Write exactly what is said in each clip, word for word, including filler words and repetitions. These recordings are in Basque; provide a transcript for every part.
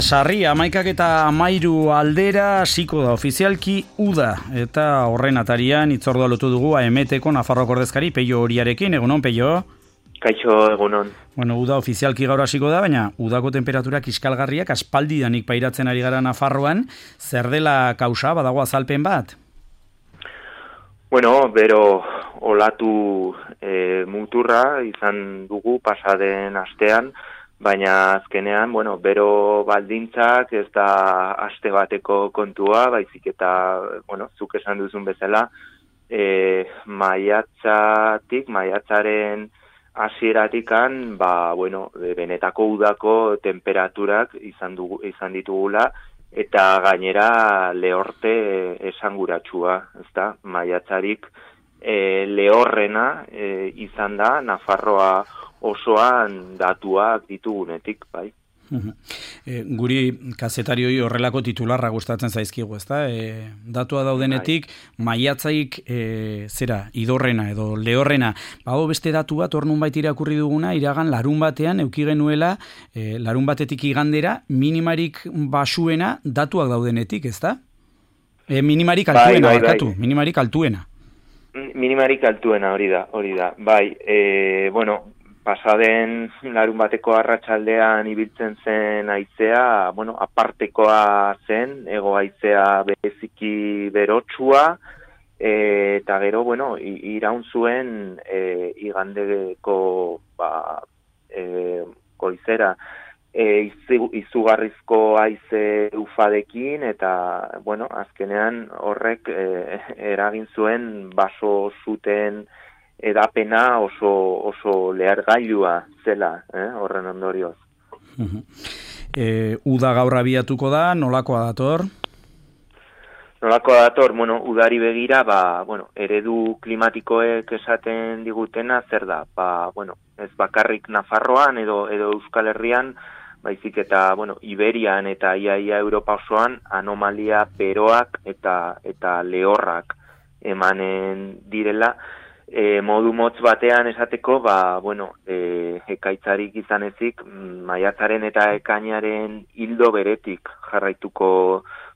sarri amaikak eta amairu aldera hasiko da ofizialki uda, eta horren atarian itzordua lotu dugu A M T-ko Nafarroako ordezkari Peio Oriarekin. Egunon, Peio? Kaixo, egunon. Bueno, uda ofizialki gaur hasiko da, baina udako temperaturak iskalgarriak aspaldidanik pairatzen ari gara Nafarroan. Zer dela kausa, badago azalpen bat? Bueno, bero olatu e, muturra izan dugu pasaden astean, baina azkenean, bueno, bero baldintzak ez da aste bateko kontua, baizik eta, bueno, zuk esan duzun bezala, e, maiatzatik, maiatzaren hasieratikan, ba, bueno, benetako udako temperaturak izan, dugu, izan ditugula, eta gainera lehorte esanguratsua, ezta? Maiatzarik e, lehorrena e, izan da Nafarroa osoan datuak ditugunetik, bai. E, guri kazetarioi horrelako titularra gustatzen zaizkigu, ezta? E, datua daudenetik, maiatzaik e, zera, idorrena edo lehorrena. Bago beste datu bat, ornun bait irakurri duguna, iragan larun batean euki genuela, e, larun batetik igandera, minimarik basuena datuak daudenetik, ezta? E, minimarik altuena, bai, bai, bai. Minimarik altuena. Minimarik altuena, hori da, hori da. Bai, e, bueno, pasaden larun bateko arratsaldean ibiltzen zen haizea, bueno, apartekoa zen, ego haizea bereziki berotsua, e, eta gero, bueno, iraun zuen e, igandeko ba, e, goizera e, izu, izugarrizko haize ufadekin, eta, bueno, azkenean horrek e, eragin zuen baso zuten edapena oso oso lehergailua zela, eh, horren ondorioz. e, uda gaur abiatuko da, nolakoa dator? Nolakoa dator, bueno, udari begira, ba, bueno, eredu klimatikoek esaten digutena zer da? Ba, bueno, ez bakarrik Nafarroan edo edo Euskal Herrian, baizik eta, bueno, Iberian eta iaia Europa osoan anomalia beroak eta eta lehorrak emanen direla. E, modu motz batean esateko, ba, bueno, e, ekaitzarik izan ezik, maiatzaren eta ekainaren hildo beretik jarraituko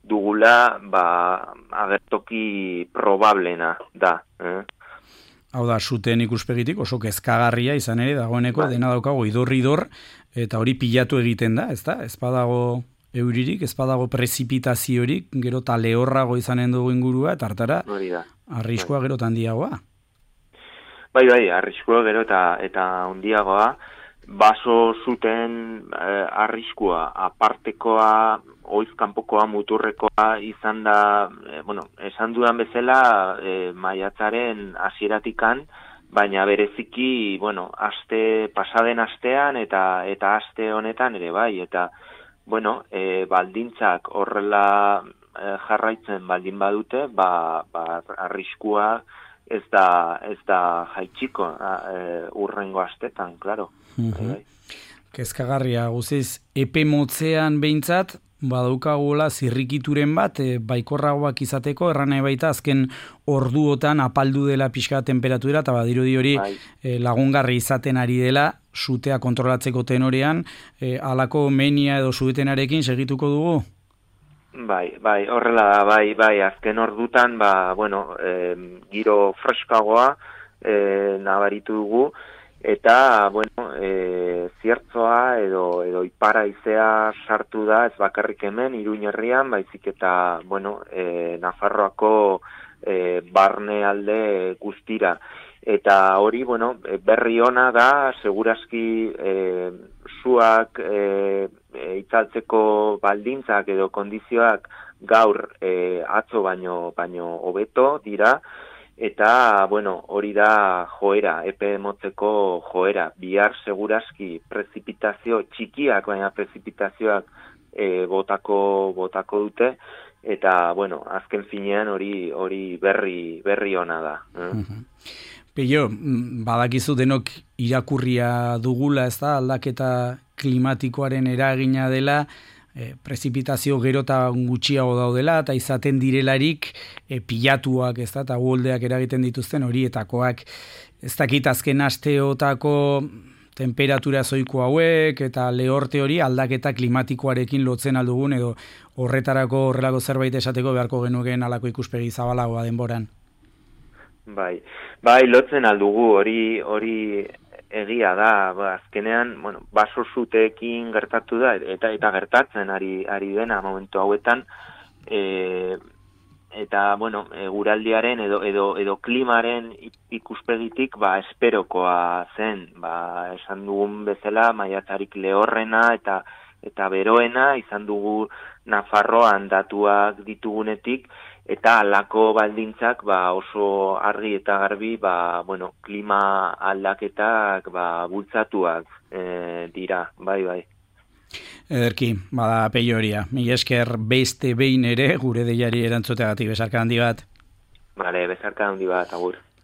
dugula, ba, agertoki probablena da. Eh? Hau da, zuten ikuspegitik oso kezkagarria izan ere, dagoeneko ba. Dena daukago idor-idor, eta hori pilatu egiten da, ez da? Ez badago euririk, ez badago prezipitaziorik, gero eta lehorrago izanen dugu ingurua, eta hartara, arriskua gero eta handiagoa. Bai, bai, arriskua gero eta eta handiagoa, baso zuten eh, arriskua, apartekoa, oizkanpokoa, muturrekoa izan da, eh, bueno, esan dudan bezala eh, maiatzaren hasieratikan, baina bereziki, bueno, aste pasaden astean eta eta aste honetan ere bai, eta bueno, eh, baldintzak horrela eh, jarraitzen baldin badute, ba, ba arriskua ez da, ez da jaitsiko e, urrengo astetan, klaro. Uh-huh. Kezkagarria, guziz, epe motzean behintzat, badaukagula zirrikituren bat, e, baikorragoak izateko, erran nahi baita azken orduotan apaldu dela pixka temperatura, eta badirudi hori bai. e, lagungarri izaten ari dela, sutea kontrolatzeko tenorean, e, alako menia edo suetenarekin segituko dugu? Bai, bai, horrela da, bai, bai, azken ordutan, ba, bueno, e, giro freskagoa e, nabaritu dugu, eta, bueno, e, ziertzoa edo, edo ipara izea sartu da, ez bakarrik hemen, Iruin herrian, baizik eta, bueno, e, Nafarroako e, barne alde guztira. Eta hori, bueno, berri ona da, segurazki e, zuak e, e, itzaltzeko baldintzak edo kondizioak gaur e, atzo baino baino hobeto dira, eta, bueno, hori da joera, epe motzeko joera. Bihar segurazki prezipitazio txikiak, baina prezipitazioak e, botako, botako dute, eta, bueno, azken finean hori hori berri, berri ona da. Eh? Peio, badakizu denok irakurria dugula, ez da, aldaketa klimatikoaren eragina dela, e, prezipitazio gero eta gutxiago daudela, eta izaten direlarik e, pilatuak, ez da, eta uholdeak eragiten dituzten horietakoak. Ez dakit azken asteotako temperatura zoiko hauek eta lehorte hori aldaketa klimatikoarekin lotzen aldugun edo horretarako horrelako zerbait esateko beharko genukeen alako ikuspegi zabalagoa denboran. Bai, bai lotzen aldugu hori hori egia da, ba, azkenean, bueno, baso zuteekin gertatu da eta eta gertatzen ari ari dena momentu hauetan, e, eta bueno, eguraldiaren edo edo edo klimaren ikuspegitik ba esperokoa zen, ba esan dugun bezala maiatzarik lehorrena eta eta beroena izan dugu Nafarroan datuak ditugunetik eta halako baldintzak ba oso argi eta garbi ba bueno, klima aldaketak ba bultzatuak e, dira, bai bai. Ederki, bada Pello Oria. Mila esker beste behin ere gure deiari erantzuteagatik besarka handi bat. Vale, besarka handi bat, agur.